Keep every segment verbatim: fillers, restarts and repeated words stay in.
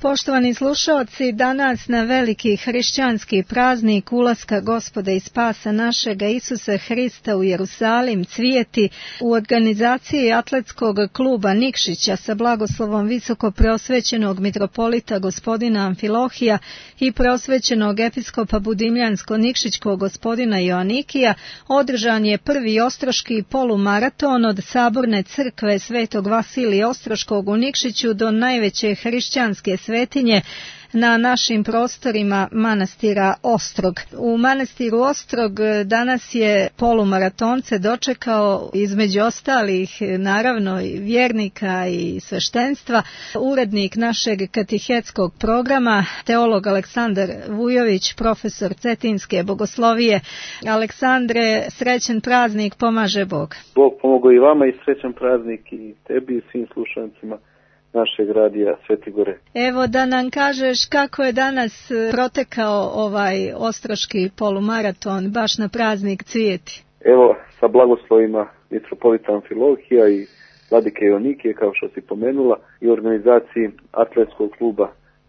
Poštovani slušaoci, danas na veliki hrišćanski praznik ulaska Gospoda i spasa našega Isusa Hrista u Jerusalim cvijeti u organizaciji atletskog kluba Nikšića sa blagoslovom visoko preosvećenog mitropolita gospodina Amfilohija i preosvećenog episkopa Budimljansko-Nikšićkog gospodina Joanikija održan je prvi ostroški polumaraton od Saborne crkve Svetog Vasilija Ostroškog u Nikšiću do najveće hrišćanske svetinje na našim prostorima manastira Ostrog. U manastiru Ostrog danas je polumaratonce dočekao između ostalih naravno i vjernika i sveštenstva urednik našeg katehetskog programa, teolog Aleksandar Vujović, profesor Cetinske bogoslovije. Aleksandre, srećan praznik, pomaže Bog. Bog pomogao i vama i srećan praznik i tebi i svim slušancima našeg radija Sveti Gore. Evo da nam kažeš kako je danas protekao ovaj ostroški polumaraton baš na praznik cvijeti. Evo sa blagoslovima mitropolita Amfilohija i vladike Joanikije, kao što si pomenula, i organizaciji atletskog kluba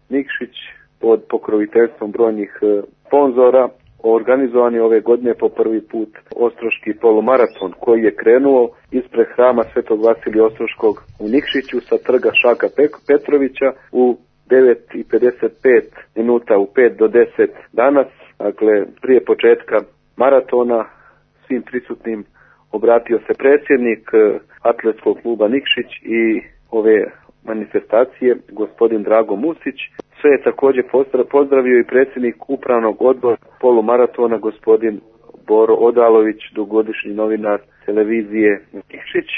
Nikšić pod pokroviteljstvom brojnih sponzora organizovan je ove godine po prvi put ostroški polumaraton koji je krenuo ispred hrama Svetog Vasilija Ostroškog u Nikšiću sa trga Šaka Petrovića u devet i pedeset pet minuta, u pet do deset danas. Dakle, prije početka maratona svim prisutnim obratio se predsjednik atletskog kluba Nikšić i ove manifestacije, gospodin Drago Musić. Sve je također pozdravio i predsjednik upravnog odbora polumaratona, gospodin Boro Odalović, dugogodišnji novinar televizije Nikšić,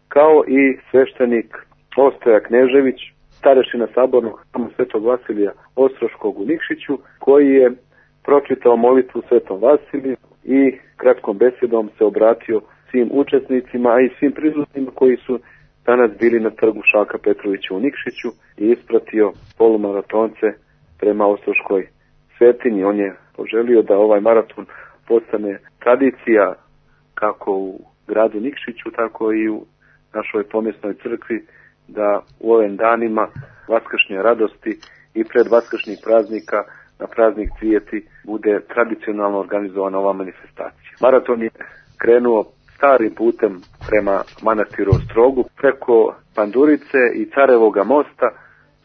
kao i sveštenik Ostoja Knežević, starešina sabornog hrama Svetog Vasilija Ostroškog u Nikšiću, koji je pročitao molitvu Svetom Vasiliju i kratkom besedom se obratio svim učesnicima, a i svim prisutnima koji su danas bili na trgu Šaka Petrovića u Nikšiću i ispratio polumaratonce prema Ostroškoj svetinji. On je poželio da ovaj maraton postane tradicija kako u gradu Nikšiću, tako i u našoj pomjesnoj crkvi, da u ovim danima vaskršnje radosti i pred vaskršnjih praznika na praznik cvijeti bude tradicionalno organizovana ova manifestacija. Maraton je krenuo starim putem prema manastiru Ostrogu, preko Pandurice i Carevoga mosta,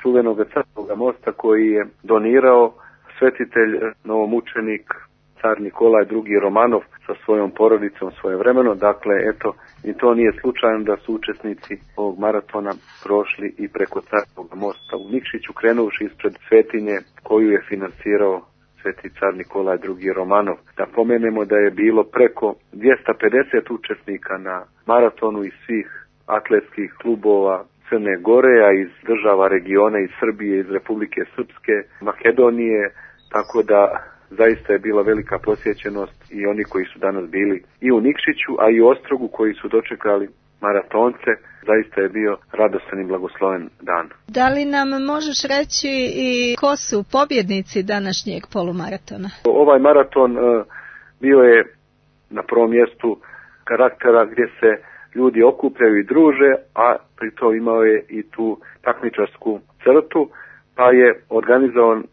čuvenog Carevoga mosta koji je donirao svetitelj, novomučenik, car Nikolaj drugi Romanov sa svojom porodicom svojevremeno. Dakle, eto, i to nije slučajno da su učesnici ovog maratona prošli i preko Carevoga mosta u Nikšiću, krenuši ispred svetinje koju je finansirao sveti car Nikolaj drugi Romanov. Da pomenemo da je bilo preko dvjesto pedeset učesnika na maratonu iz svih atletskih klubova Crne Gore, a iz država regiona, iz Srbije, iz Republike Srpske, Makedonije, tako da zaista je bila velika posjećenost i oni koji su danas bili i u Nikšiću, a i u Ostrogu koji su dočekali maratonce. Zaista je bio radostan i blagosloven dan. Da li nam možeš reći i ko su pobjednici današnjeg polumaratona? Ovaj maraton uh, bio je na prvom mjestu karaktera gdje se ljudi okupljaju i druže, a pri to imao je i tu takmičarsku crtu, pa je organizovan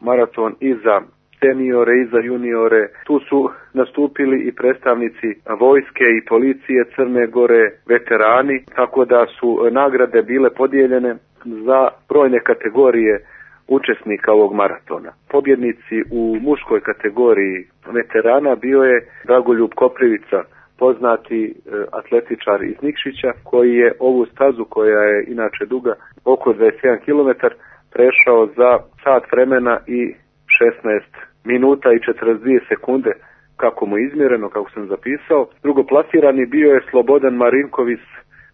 maraton i za seniore i za juniore. Tu su nastupili i predstavnici vojske i policije Crne Gore, veterani, tako da su nagrade bile podijeljene za brojne kategorije učesnika ovog maratona. Pobjednici u muškoj kategoriji veterana bio je Dragoljub Koprivica, poznati atletičar iz Nikšića, koji je ovu stazu, koja je inače duga oko dvadeset jedan kilometar, prešao za sat vremena i šesnaest minuta i četrdeset dvije sekunde, kako mu je izmjereno, kako sam zapisao. Drugoplasirani bio je Slobodan Marinković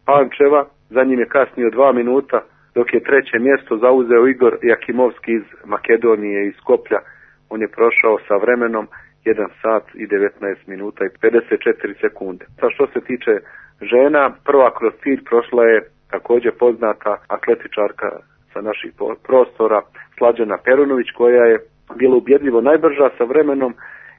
Pančeva, za njim je kasnio dva minuta, dok je treće mjesto zauzeo Igor Jakimovski iz Makedonije, iz Skoplja. On je prošao sa vremenom jedan sat i devetnaest minuta i pedeset četiri sekunde. Sa što se tiče žena, prva kroz cilj prošla je također poznata atletičarka sa naših prostora Slađana Perunović, koja je bila ubjedljivo najbrža sa vremenom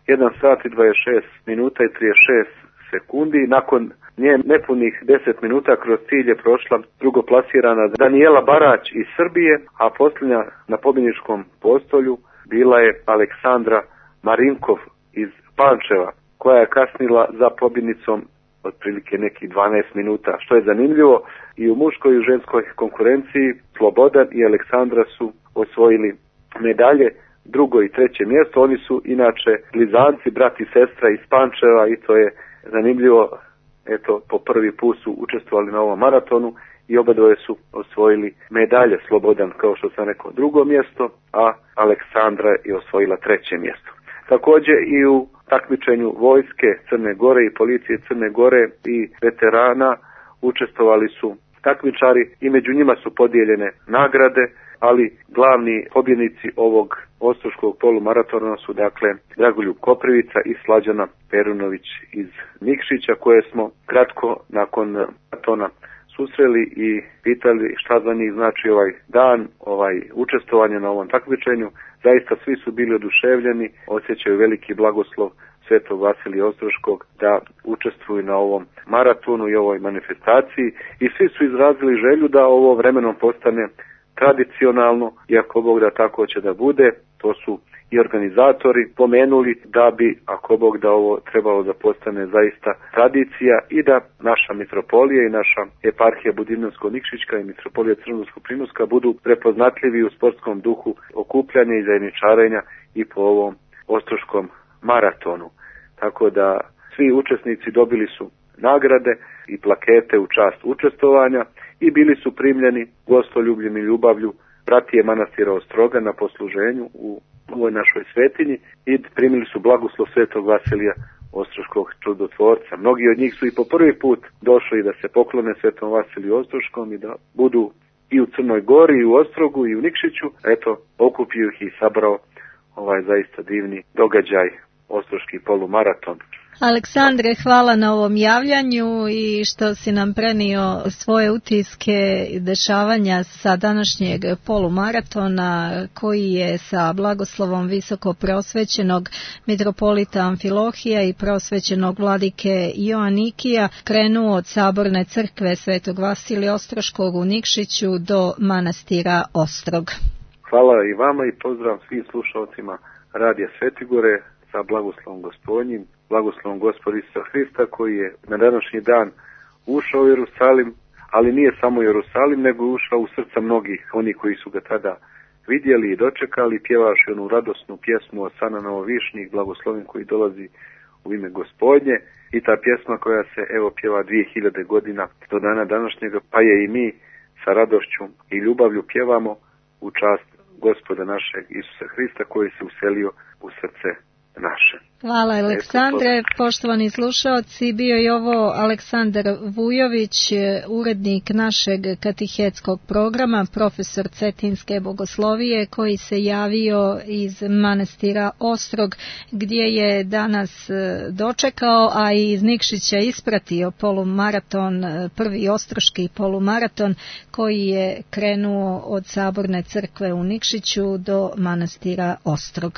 jedan sat i dvadeset šest minuta i trideset šest sekundi. Nakon nje nepunih deset minuta kroz cilj je prošla drugoplasirana Danijela Barać iz Srbije, a posljednja na pobjedničkom postolju bila je Aleksandra Marinkov iz Pančeva, koja je kasnila za pobjednicom otprilike nekih dvanaest minuta. Što je zanimljivo, i u muškoj i u ženskoj konkurenciji Slobodan i Aleksandra su osvojili medalje, drugo i treće mjesto. Oni su inače blizanci, brat i sestra iz Pančeva i to je zanimljivo. Eto, po prvi put su učestvovali na ovom maratonu i obadvoje su osvojili medalje. Slobodan, kao što sam rekao, drugo mjesto, a Aleksandra je osvojila treće mjesto. Također i u takmičenju vojske Crne Gore i policije Crne Gore i veterana učestvovali su takmičari i među njima su podijeljene nagrade, ali glavni pobjednici ovog ostroškog polumaratona su dakle Dragoljub Koprivica i Slađana Perunović iz Nikšića, koje smo kratko nakon maratona susreli i pitali šta za njih znači ovaj dan, ovaj učestvovanje na ovom takmičenju. Zaista svi su bili oduševljeni, osjećaju veliki blagoslov Svetog Vasilija Ostroškog da učestvuju na ovom maratonu i ovoj manifestaciji i svi su izrazili želju da ovo vremenom postane tradicionalno, i ako Bog da tako će da bude. To su i organizatori pomenuli da bi, ako Bog da, ovo trebalo da postane zaista tradicija i da naša mitropolija i naša eparhija Budimljansko-Nikšićka i mitropolija Crnogorsko-Primorska budu prepoznatljivi u sportskom duhu okupljanja i zajedničarenja i po ovom ostroškom maratonu. Tako da svi učesnici dobili su nagrade i plakete u čast učestvovanja i bili su primljeni gostoljubljim i ljubavlju bratije manastira Ostroga na posluženju u ovoj našoj svetinji i primili su blagoslov Svetog Vasilija Ostroškog čudotvorca. Mnogi od njih su i po prvi put došli da se poklone Svetom Vasiliju Ostroškom i da budu i u Crnoj Gori, i u Ostrogu, i u Nikšiću. Eto, okupio ih i sabrao ovaj zaista divni događaj, ostroški polumaraton. Aleksandre, hvala na ovom javljanju i što si nam prenio svoje utiske dešavanja sa današnjeg polumaratona, koji je sa blagoslovom visoko prosvećenog mitropolita Amfilohija i prosvećenog vladike Joanikija krenuo od Saborne crkve Svetog Vasilija Ostroškog u Nikšiću do manastira Ostrog. Hvala i vama i pozdrav svim slušalcima Radija Svetigore sa blagoslovom Gospodnjim, blagoslovom Gospoda Isusa Hrista, koji je na današnji dan ušao u Jerusalim, ali nije samo Jerusalim, nego je ušao u srca mnogih, oni koji su ga tada vidjeli i dočekali, pjevaši onu radosnu pjesmu Osana Novovišnjih, blagoslovim koji dolazi u ime Gospodnje, i ta pjesma koja se evo pjeva dvije hiljade godina do dana današnjega, pa je i mi sa radošću i ljubavlju pjevamo u čast Gospoda našeg Isusa Hrista, koji se uselio u srce naše. Hvala Aleksandre. Poštovani slušaoci, bio je ovo Aleksandar Vujović, urednik našeg katehetskog programa, profesor Cetinske bogoslovije, koji se javio iz manastira Ostrog, gdje je danas dočekao, a i iz Nikšića ispratio polumaraton, prvi ostroški polumaraton, koji je krenuo od Saborne crkve u Nikšiću do manastira Ostrog.